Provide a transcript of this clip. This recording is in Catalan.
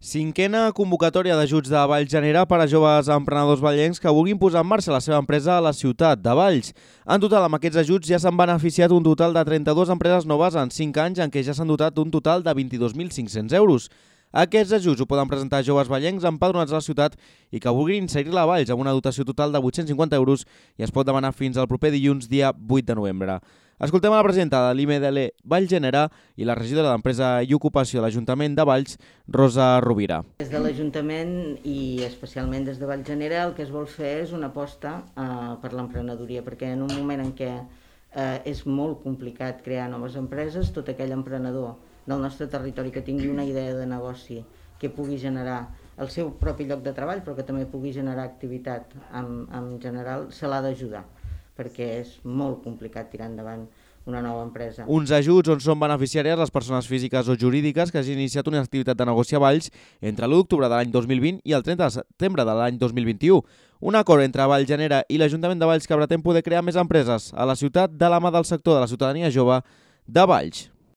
Cinquena convocatòria d'ajuts de Valls genera per a joves emprenedors vallencs que vulguin posar en marxa la seva empresa a la ciutat de Valls. En total, amb aquests ajuts ja s'han beneficiat un total de 32 empreses noves en 5 anys, en què ja s'han dotat d'un total de 22.500 euros. Aquests ajuts ho poden presentar joves vallencs empadronats a la ciutat i que vulguin inserir-la a Valls amb una dotació total de 850 euros i es pot demanar fins al proper dilluns, dia 8 de novembre. Escoltem a la presidenta de l'IMDL Valls Genera i la regidora d'Empresa i Ocupació de l'Ajuntament de Valls, Rosa Rovira. Des de l'Ajuntament i especialment des de Valls Genera el que es vol fer és una aposta per l'emprenedoria, perquè en un moment en què és molt complicat crear noves empreses, tot aquell emprenedor del nostre territori que tingui una idea de negoci que pugui generar el seu propi lloc de treball, però que també pugui generar activitat en general, se l'ha d'ajudar, perquè és molt complicat tirar endavant una nova empresa. Uns ajuts on són beneficiàries les persones físiques o jurídiques que hagin iniciat una activitat de negoci a Valls entre l'1 d'octubre de l'any 2020 i el 30 de setembre de l'any 2021. Un acord entre Valls Genera i l'Ajuntament de Valls que pretén poder crear més empreses a la ciutat de la mà del sector de la ciutadania jove de Valls.